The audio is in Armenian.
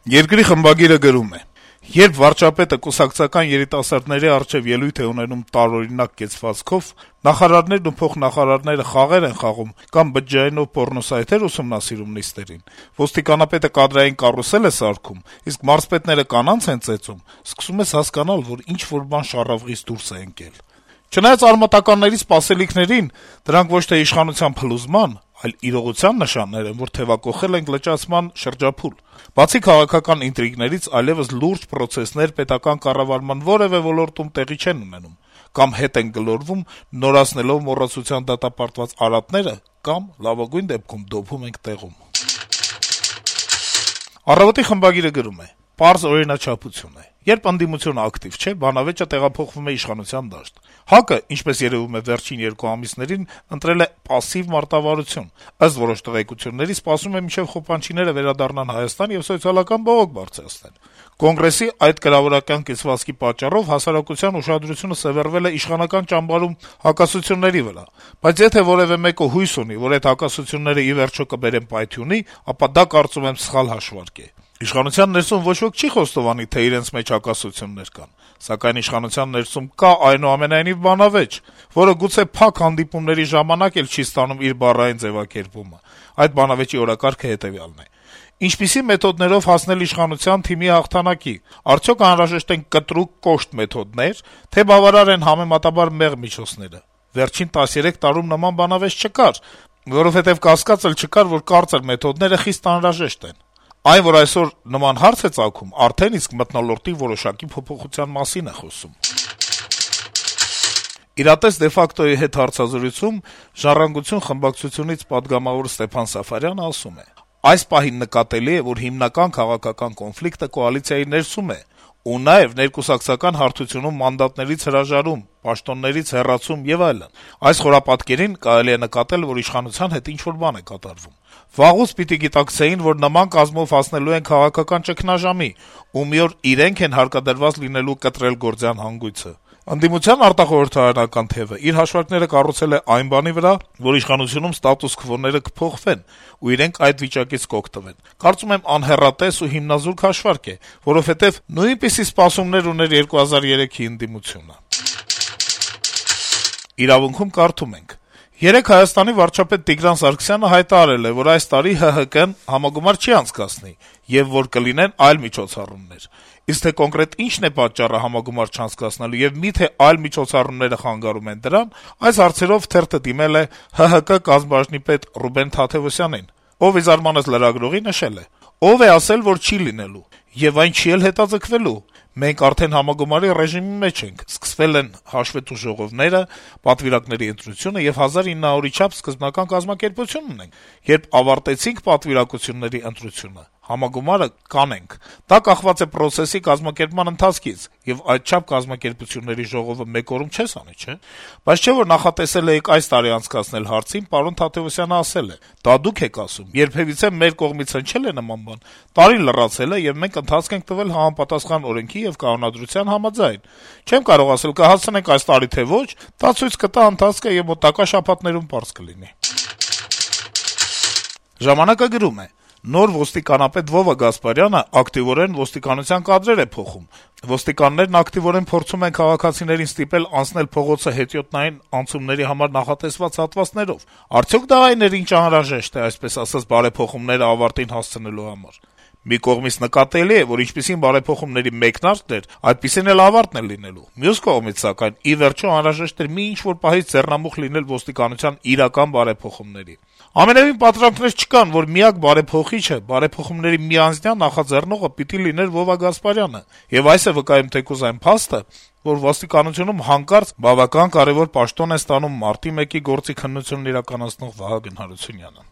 Երկրի խմբագիրը գրում է. - «Երբ վարչապետը կուսակցական երիտասարդների առջեւ ելույթ է ունենում տարօրինակ կեցվածքով, նախարարներն ու փոխնախարարները խաղեր են խաղում կամ բջջայինով պոռնոսայթեր ուսումնասիրում նիստերին, ոստիկանապետը կադրային կարուսել է սարքում, իսկ մարզպետները կանանց են ծեծում, սկսում ես հասկանալ, որ ինչ-որ բան շառավղից դուրս է ընկել։ Չնայած արմատականների սպասելիքներին, դրանք ոչ թե իշխանության փլուզման, այլ իրողության նշաններ են, որ թեւակոխել ենք լճացման շրջափուլ։ Բացի քաղաքական ինտրիգներից այլեւս լուրջ պրոցեսներ պետական կառավարման որեւէ ոլորտում տեղի չեն ունենում, կամ հետ են գլորվում, նորացնելով մոռացության դատապարտված արատները, կամ, լավագույն դեպքում, դոփում ենք տեղում»։ «Առավոտ»-ի խմբագիրը գրում է. - «Պարզ օրինաչափություն է. երբ ընդդիմությունը ակտիվ չէ, բանավեճը տեղափոխվում է իշխանության դաշտ։ ՀԱԿ-ը, ինչպես երեւում է վերջին 2 ամիսներին, ընտրել է պասսիվ մարտավարություն, ըստ որոշ տեղեկությունների, սպասում է մինչեւ խոպանչիները վերադառնան Հայաստան եւ սոցիալական բողոք բարձրացնեն։ Կոնգրեսի այդ կրավորական կեցվածքի պատճառով հասարակության ուշադրությունը սեւեռվել է իշխանական ճամբարում հակասությունների վրա, բայց եթե որեւէ մեկը հույս ունի, որ այդ հակասությունները ի վերջո կբերեն պայթյունի, ապա դա, կարծում եմ, սխալ հաշվարկ է։ Իշխանության ներսում ոչ ոք չի խոստովանի, թե իրենց մեջ հակասություններ կան, սակայն իշխանության ներսում կա այնուամենայնիվ բանավեճ, որը գուցե փակ հանդիպումների ժամանակ էլ չի ստանում իր բառային ձեւակերպումը։ Այդ բանավեճի օրակարգը հետեւյալն է. ինչպիսի մեթոդներով հասնել իշխանության թիմի հաղթանակի, արդյոք անհրաժեշտ են կտրուկ կոշտ մեթոդներ, թե բավարար են համեմատաբար մեղմ միջոցները։ Վերջին 13 տարում նման բանավեճ չկար, որովհետեւ կասկած էլ չկար, որ կարծր մեթոդները խիստ անհրաժեշտ են։ Այն, որ այսօր նման հարց է ծագում, արդեն իսկ մթնոլորտի որոշակի փոփոխության մասին է խոսում»։ «Իրատես de facto-ի հետ հարցազրույցում «Ժառանգություն» խմբակցությունից պատգամավոր Ստեփան Սաֆարյանը ասում է. - «Այս պահին նկատելի է, որ հիմնական քաղաքական կոնֆլիկտը կոալիցիայի ներսում է, ու նաեւ ներկուսակցական հարթությունում մանդատներից հրաժարում, պաշտոններից հեռացում եւ այլն։ Այս խորապատկերին կարելի է նկատել, որ իշխանության հետ ինչ-որ բան է կատարվում։ Վաղուց պիտի գիտակցեին, որ նման կազմով հասնելու են քաղաքական ճգնաժամի, ու մի օր իրենք են հարկադրված լինելու կտրել գործյան հանգույցը։ Ընդդիմության արտախորհրդարանական թեւը իր հաշվարկները կառուցել է այն բանի վրա, որ իշխանությունում ստատուս քվոները կփոխվեն, ու իրենք այդ վիճակից կօգտվեն։ Կարծում եմ, անհեռատես ու հիմնազուրկ հաշվարկ է, որովհետեւ նույնպիսի սպասումներ ուներ 2003-ի ընդդիմությունը»։ «Իրավունք»-ում կարդում ենք. - «Երեկ Հայաստանի վարչապետ Տիգրան Սարգսյանը հայտարարել է, որ այս տարի ՀՀԿ-ն համագումար չի անցկացնի, եւ որ կլինեն այլ միջոցառումներ։ Իսկ թե կոնկրետ ինչն է պատճառը համագումար չանցկացնելու եւ միթե այլ միջոցառումները խանգարում են դրան, այս հարցերով թերթը դիմել է ՀՀԿ կազմբաժնի պետ Ռուբեն Թադեւոսյանին, ով ի զարմանս լրագրողի նշել է. «Ով է ասել, որ չի լինելու, եւ այն չի էլ հետաձգվելու։ Մենք արդեն համագումարի ռեժիմի մեջ ենք, սկսվել են հաշվետու ժողովները, պատվիրակների ընտրությունը եւ 1900-ի չափ սկզբնական կազմակերպություն ունենք։ Երբ ավարտեցինք պատվիրակությունների ընտրությունը, համագումարը կանենք։ Դա կախված է պրոցեսի կազմակերպման ընթացքից, եւ այդչափ կազմակերպությունների ժողովը մեկ օրում չես անի, չէ՞։ Բայց չէ՞ որ նախատեսել էիք այս տարի անցկացնել հարցին, պարոն Թադեւոսյանը ասել է. դա դուք եք ասում, երբեւիցե մեր կողմից հնչել է նման բան, տարի լրացել է եւ մենք ընթացք ենք տվել համապատասխան օրենքի եւ կանոնադրության համաձայն։ Չեմ կարող ասել կհասցնենք այս տարի թե ոչ, դա ցույց կտա ընթացքը եւ մոտակա շաբաթներում պարզ կլինի»։ «Ժամանակ»-ը գրում է. - «Նոր ոստիկանապետ Վովա Գասպարյանը ակտիվորեն ոստիկանության կադրեր է փոխում։ Ոստիկաններն ակտիվորեն փորձում են քաղաքացիներին ստիպել անցնել փողոցը հետիոտնային անցումների համար նախատեսված հատվածներով։ Արդյոք դա այն էր, ինչ անհրաժեշտ է, այսպես ասած, բարեփոխումները ավարտին հասցնելու համար։ Մի կողմից նկատելի է, որ ինչպիսին բարեփոխումների մեկնարկն էր, այդպիսին էլ ավարտն է լինելու։ Մյուս կողմից, սակայն, ի վերջո անհրաժեշտ էր մի ինչ-որ պահից ձեռնամուխ լինել ոստիկանության իրական բարեփոխումների։ Ամենեւին պատրանքներ չկան, որ միակ բարեփոխիչը, բարեփոխումների միանձնյա նախաձեռնողը պիտի լիներ Վովա Գասպարյանը, եւ այս է վկայում թեկուզ այն փաստը, որ ոստիկանությունում հանկարծ բավական կարեւոր պաշտոն է ստանում մարտի 1-ի գործի քննությունն իրականացնող Վահագն Հարությունյանը»։